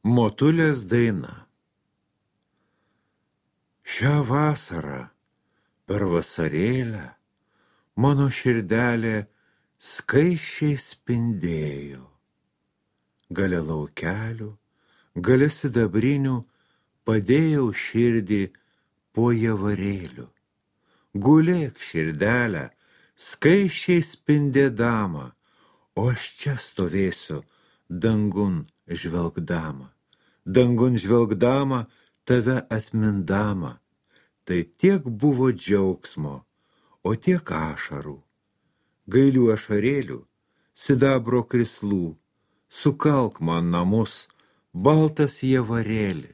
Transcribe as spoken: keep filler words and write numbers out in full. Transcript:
Motulės daina. Šią vasarą per vasarėlę mano širdelė skaisčiai spindėjo. Gale laukelių, gale sidabrinių padėjau širdį po javarėliu. Gulėk širdelę, skaisčiai spindėdama, o aš čia stovėsiu dangun žvelgdama. Dangun žvelgdama, tave atmindama. Tai tiek buvo džiaugsmo, o tiek ašarų. Gailių ašarėlių, sidabro krislų, sukalk man namus, baltas javarėli.